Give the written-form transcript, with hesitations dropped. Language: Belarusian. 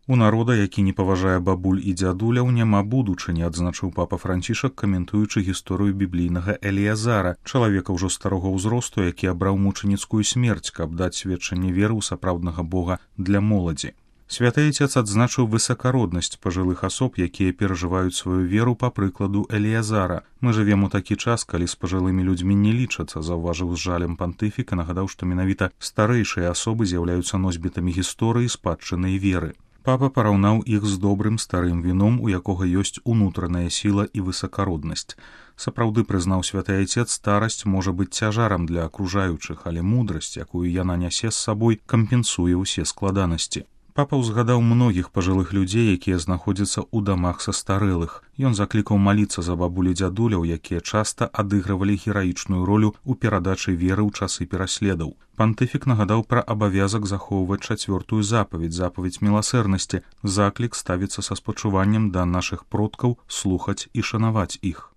У народа, які не паважае бабуль і дзядуляў, няма будучыні, адзначыў папа Францішак, каментуючы гісторыю біблійнага Эліязара, чалавека ўжо старога ўзросту, які абраў мучаніцкую смерць, каб даць сведчанне веры ў сапраўднага Бога для моладзі. Святы Отец адзначыў высакароднасць пажылых асоб, якія перажываюць сваю веру па прыкладу Эліязара. Мы жывем у такі час, калі з пажылымі людзьмі не лічацца, заўважыў з жалем пантыфік і нагадаў, што менавіта старэйшыя асобы з'яўляюцца носьбітамі гісторыі спадчыннай веры. Папа параўнаў іх з добрым старым віном, у якога ёсць унутраная сіла і высакароднасць. Сапраўды, прызнаў святы Отец, старасць можа быць цяжарам для акружаючых, але мудрасць, якую яна нясе з сабой, кампенсуе ўсе складанасці. Папа ўзгадаў многіх пажылых людзей, якія знаходзяцца ў дамах са старэлых. Ён заклікаў маліцца за бабулі дзядуляў, якія часта адыгрывалі гераічную ролю ў перадачы веры ў часы пераследаў. Пантыфік нагадаў пра абавязак захоўваць 4-ю запаведь міласэрнасці. Заклік ставіцца са спачуваннем да нашых продкаў слухаць і шанаваць іх.